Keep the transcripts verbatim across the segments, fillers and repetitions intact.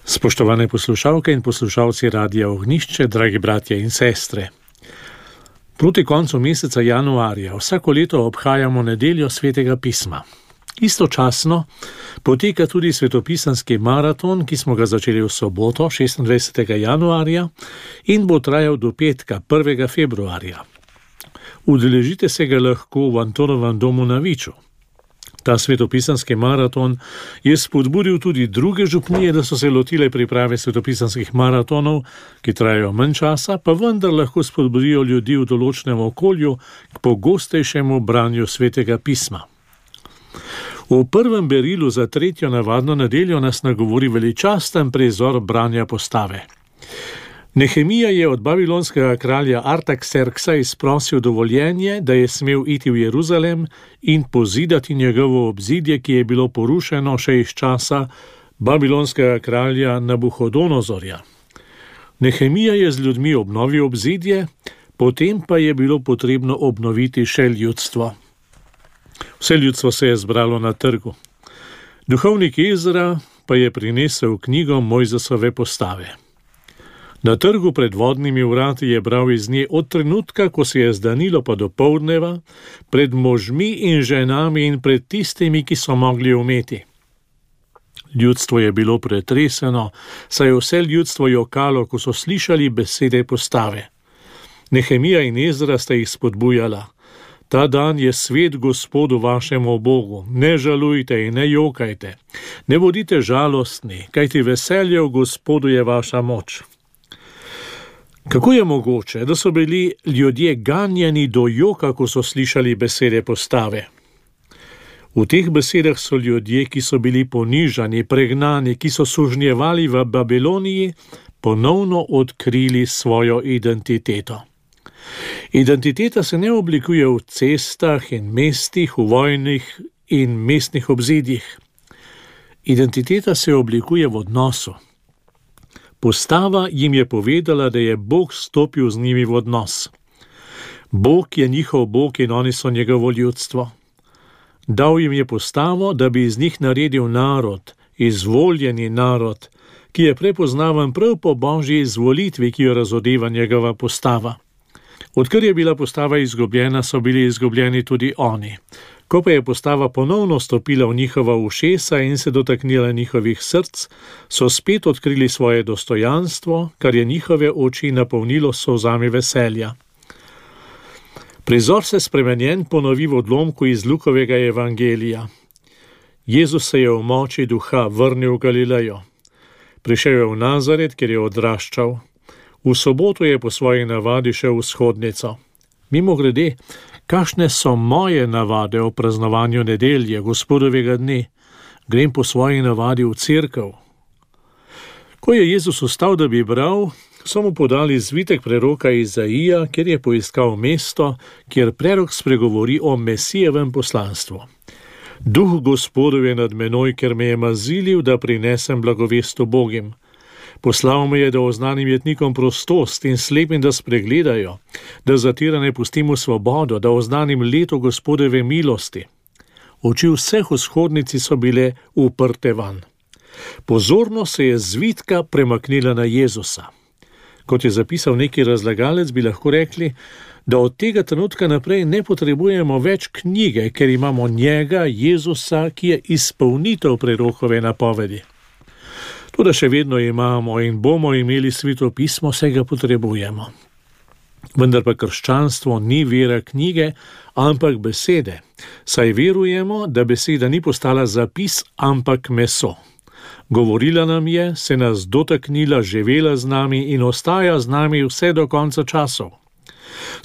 Spoštovane poslušalke in poslušalci Radia Ognjišče, dragi bratje in sestre. Proti koncu meseca januarja vsako leto obhajamo nedeljo Svetega pisma. Istočasno poteka tudi svetopisanski maraton, ki smo ga začeli v soboto, šestindvajsetega januarja, in bo trajal do petka, prvega februarja. Udeležite se ga lahko v Antonovem domu na Viču. Ta svetopisanski maraton je spodbudil tudi druge župnije, da so se lotile priprave svetopisanskih maratonov, ki trajajo manj časa, pa vendar lahko spodbudijo ljudi v določenem okolju k pogostejšemu branju Svetega pisma. V prvem berilu za tretjo navadno nedeljo nas nagovori veličasten prizor branja postave. Nehemija je od babilonskega kralja Artakserksa izprosil dovoljenje, da je smel iti v Jeruzalem in pozidati njegovo obzidje, ki je bilo porušeno še iz časa babilonskega kralja Nabuhodonozorja. Nehemija je z ljudmi obnovil obzidje, potem pa je bilo potrebno obnoviti še ljudstvo. Vse ljudstvo se je zbralo na trgu. Duhovnik Ezra pa je prinesel knjigo Mojzesove postave. Na trgu pred vodnimi vrati je bral iz nje od trenutka, ko se je zdanilo pa do poldneva, pred možmi in ženami in pred tistimi, ki so mogli umeti. Ljudstvo je bilo pretreseno, saj je vse ljudstvo jokalo, ko so slišali besede postave. Nehemija in Ezra sta jih spodbujala. Ta dan je svet Gospodu vašemu Bogu, ne žalujte in ne jokajte, ne bodite žalostni, kajti veselje v Gospodu je vaša moč. Kako je mogoče, da so bili ljudje ganjeni do joka, ko so slišali besede postave? V teh besedah so ljudje, ki so bili ponižani, pregnani, ki so sužnjevali v Babiloniji, ponovno odkrili svojo identiteto. Identiteta se ne oblikuje v cestah in mestih, v vojnih in mestnih obzidjih. Identiteta se oblikuje v odnosu. Postava jim je povedala, da je Bog stopil z njimi v odnos. Bog je njihov Bog in oni so njegovo ljudstvo. Dal jim je postavo, da bi iz njih naredil narod, izvoljeni narod, ki je prepoznaven prav po Božji izvolitvi, ki jo razodeva njegova postava. Odkar je bila postava izgubljena, so bili izgubljeni tudi oni. Ko pa je postava ponovno stopila v njihova ušesa in se dotaknila njihovih src, so spet odkrili svoje dostojanstvo, kar je njihove oči napolnilo s solzami veselja. Prizor se spremenjen ponovi v odlomku iz Lukovega evangelija. Jezus se je v moči duha vrnil v Galilejo. Prišel je v Nazaret, kjer je odraščal. V soboto je po svoji navadi šel v shodnico. Mimogrede, kakšne so moje navade o praznovanju nedelje, Gospodovega dne? Grem po svoji navadi v cerkev. Ko je Jezus vstal, da bi bral, so mu podali zvitek preroka Izaija, kjer je poiskal mesto, kjer prerok spregovori o Mesijevem poslanstvu. Duh Gospodov je nad menoj, ker me je mazilil, da prinesem blagovest ubogim. Poslal me je, da oznanim jetnikom prostost in slepim, da spregledajo, da zatirane pustim v svobodo, da oznanim leto Gospodove milosti. Oči vseh v shodnici so bile uprte van. Pozorno se je zvitka premaknila na Jezusa. Kot je zapisal neki razlagalec, bi lahko rekli, da od tega trenutka naprej ne potrebujemo več knjige, ker imamo njega, Jezusa, ki je izpolnitev prerokove napovedi. Toda še vedno imamo in bomo imeli Sveto pismo, vse ga potrebujemo. Vendar pa krščanstvo ni vera knjige, ampak besede, saj verujemo, da beseda ni postala zapis, ampak meso. Govorila nam je, se nas dotaknila, živela z nami in ostaja z nami vse do konca časov.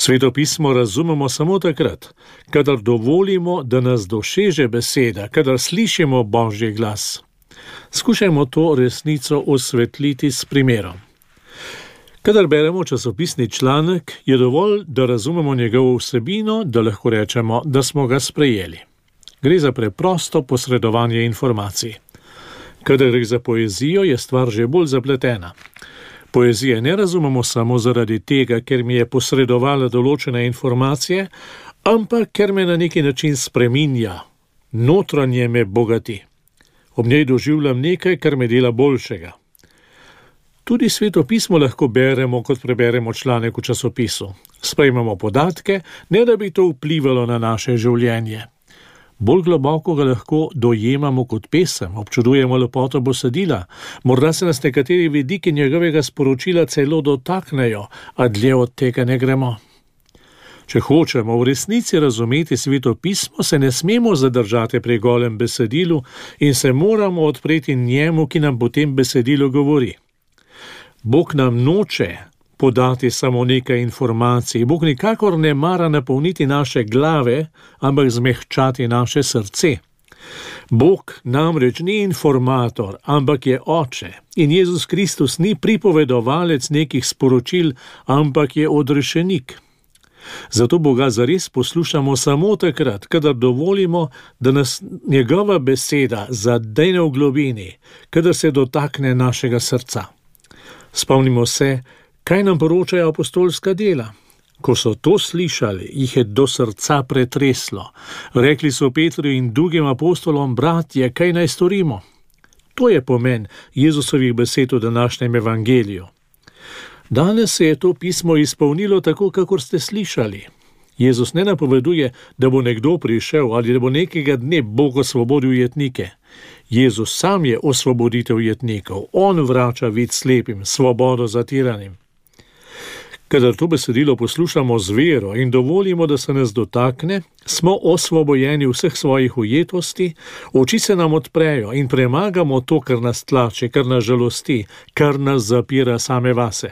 Sveto pismo razumemo samo takrat, kadar dovolimo, da nas doseže beseda, kadar slišimo Božji glas. Skušajmo to resnico osvetliti s primerom. Kadar beremo časopisni članek, je dovolj, da razumemo njegovo vsebino, da lahko rečemo, da smo ga sprejeli. Gre za preprosto posredovanje informacij. Kadar gre za poezijo, je stvar že bolj zapletena. Poezije ne razumemo samo zaradi tega, ker mi je posredovala določene informacije, ampak ker me na neki način spreminja, notranje me bogati. Ob njej doživljam nekaj, kar me dela boljšega. Tudi Sveto pismo lahko beremo, kot preberemo članek v časopisu. Sprejmemo podatke, ne da bi to vplivalo na naše življenje. Bolj globoko ga lahko dojemamo kot pesem, občudujemo lepoto besedila, morda se nas nekateri vidiki njegovega sporočila celo dotaknejo, a dlje od tega ne gremo. Če hočemo v resnici razumeti Sveto pismo, se ne smemo zadržati pri golem besedilu in se moramo odpreti njemu, ki nam potem besedilo govori. Bog nam noče podati samo nekaj informacij. Bog nikakor ne mara napolniti naše glave, ampak zmehčati naše srce. Bog namreč ni informator, ampak je oče. In Jezus Kristus ni pripovedovalec nekih sporočil, ampak je odrešenik. Zato Boga zares poslušamo samo takrat, kadar dovolimo, da nas njegova beseda zadene v globini, kadar se dotakne našega srca. Spomnimo se, kaj nam poročajo apostolska dela. Ko so to slišali, jih je do srca pretreslo. Rekli so Petru in drugim apostolom: bratje, kaj naj storimo? To je pomen Jezusovih besed v današnjem evangeliju. Danes se je to pismo izpolnilo tako, kakor ste slišali. Jezus ne napoveduje, da bo nekdo prišel ali da bo nekega dne Bog osvobodil jetnike. Jezus sam je osvoboditev jetnikov. On vrača vid slepim, svobodo zatiranim. Kadar to besedilo poslušamo z vero in dovolimo, da se nas dotakne, smo osvobojeni vseh svojih ujetosti, oči se nam odprejo in premagamo to, kar nas tlači, kar nas žalosti, kar nas zapira same vase.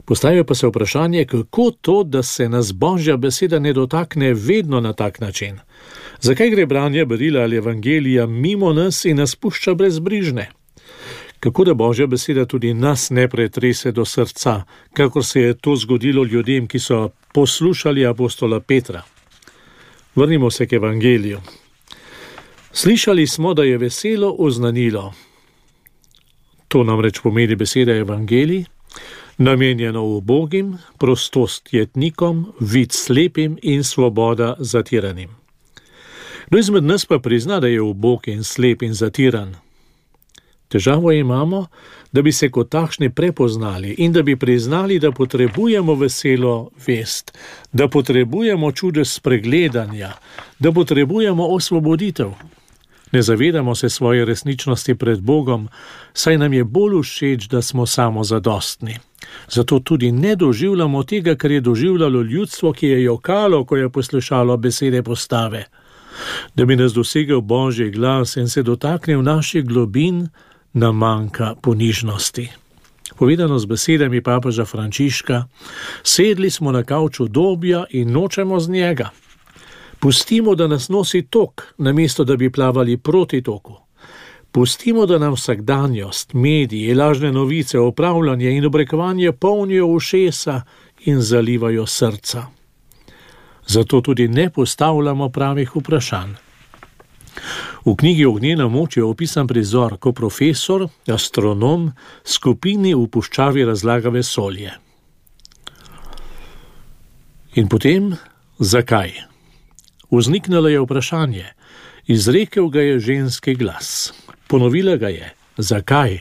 Postavijo pa se vprašanje, kako to, da se nas Božja beseda ne dotakne vedno na tak način. Zakaj gre branje berila ali evangelija mimo nas in nas pušča brezbrižne? Kako da Božja beseda tudi nas ne pretrese do srca, kakor se je to zgodilo ljudem, ki so poslušali apostola Petra? Vrnimo se k evangeliju. Slišali smo, da je veselo oznanilo. To namreč pomeni beseda evangelij, namenjeno ubogim, prostost jetnikom, vid slepim in svoboda zatiranim. Kdo izmed nas pa prizna, da je ubog in slep in zatiran? Težavo imamo, da bi se kot takšni prepoznali in da bi priznali, da potrebujemo veselo vest, da potrebujemo čudež spregledanja, da potrebujemo osvoboditev. Ne zavedamo se svoje resničnosti pred Bogom, saj nam je bolj všeč, da smo samozadostni. Zato tudi ne doživljamo tega, kar je doživljalo ljudstvo, ki je jokalo, ko je poslušalo besede postave. Da bi nas dosegel Božji glas in se dotaknil naših globin, nam manjka ponižnosti. Povedano z besedami papeža Frančiška, sedli smo na kavč udobja in nočemo z njega. Pustimo, da nas nosi tok, namesto da bi plavali proti toku. Pustimo, da nam vsakdanjost, mediji, lažne novice, opravljanje in obrekovanje polnijo ušesa in zalivajo srca. Zato tudi ne postavljamo pravih vprašanj. V knjigi Ognjena moč je opisan prizor, ko profesor, astronom, skupini v puščavi razlaga vesolje. In potem, zakaj? Vzniknilo je vprašanje, izrekel ga je ženski glas. Ponovila ga je, zakaj?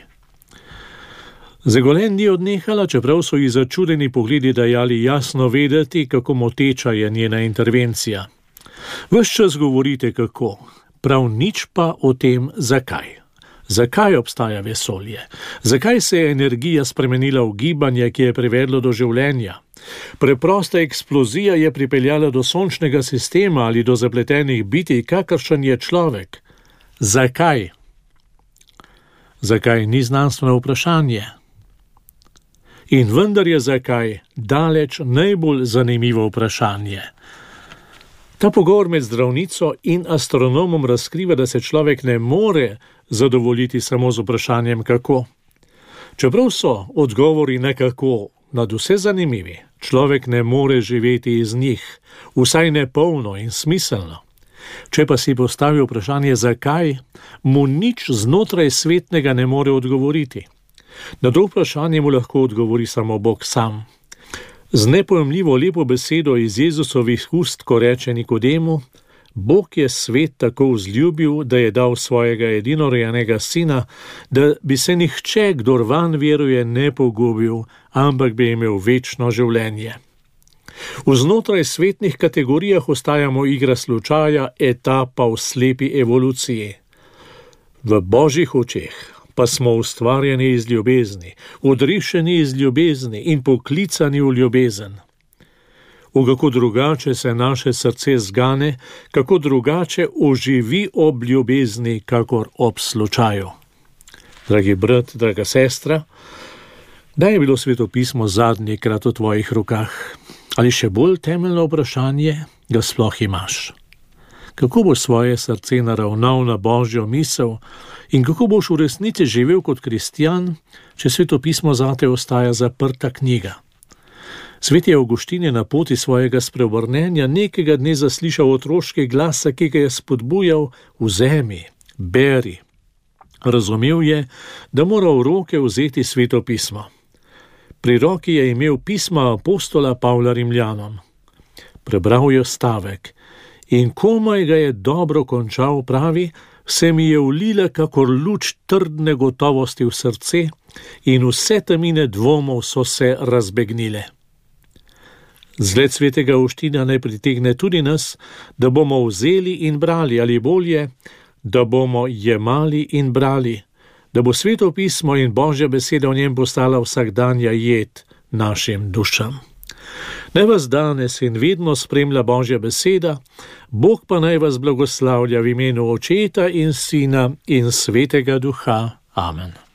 Zagolen ni odnehala, čeprav so ji začudeni pogledi dajali jasno vedeti, kako moteča je njena intervencija. Ves čas govorite kako, prav nič pa o tem, zakaj. Zakaj obstaja vesolje? Zakaj se je energija spremenila v gibanje, ki je privedlo do življenja? Preprosta eksplozija je pripeljala do sončnega sistema ali do zapletenih bitij, kakršen je človek. Zakaj? Zakaj ni znanstveno vprašanje? In vendar je zakaj daleč najbolj zanimivo vprašanje. Ta pogovor med zdravnico in astronomom razkriva, da se človek ne more zadovoljiti samo z vprašanjem kako. Čeprav so odgovori nekako nadvse zanimivi, človek ne more živeti iz njih, vsaj ne polno in smiselno. Če pa si postavi vprašanje zakaj, mu nič znotraj svetnega ne more odgovoriti. Na to vprašanje mu lahko odgovori samo Bog sam. Z nepojemljivo lepo besedo iz Jezusovih ust, ko reče Nikodemu: Bog je svet tako vzljubil, da je dal svojega edinorojenega sina, da bi se nihče, kdor vanj veruje, ne pogubil, ampak bi imel večno življenje. Vznotraj svetnih kategorijah ostajamo igra slučaja, etapa v slepi evoluciji. V Božjih očeh pa smo ustvarjeni iz ljubezni, odrešeni iz ljubezni in poklicani v ljubezen. V kako drugače se naše srce zgane, kako drugače oživi ob ljubezni, kakor ob slučaju. Dragi brat, draga sestra, kdaj je bilo svetopismo zadnjikrat v tvojih rokah? Ali še bolj temeljno vprašanje, ga sploh imaš? Kako boš svoje srce naravnal na Božjo misel in kako boš v resnici živel kot kristjan, če svetopismo zate ostaja zaprta knjiga? Sveti Avguštin je na poti svojega spreobrnenja nekega dne zaslišal otroški glas, ki ga je spodbujal: vzemi, beri. Razumel je, da mora v roke vzeti svetopismo. Pri roki je imel pisma apostola Pavla Rimljanom. Prebral je stavek in komaj ga je dobro končal, pravi, se mi je vlila kakor luč trdne gotovosti v srce in vse temine dvomov so se razbegnile. Zgled svetega Avguština naj pritegne tudi nas, da bomo vzeli in brali, ali bolje, da bomo jemali in brali, da bo sveto pismo in Božja beseda v njem postala vsakdanja jed našim dušam. Naj vas danes in vedno spremlja Božja beseda, Bog pa naj vas blagoslavlja v imenu Očeta in Sina in Svetega Duha. Amen.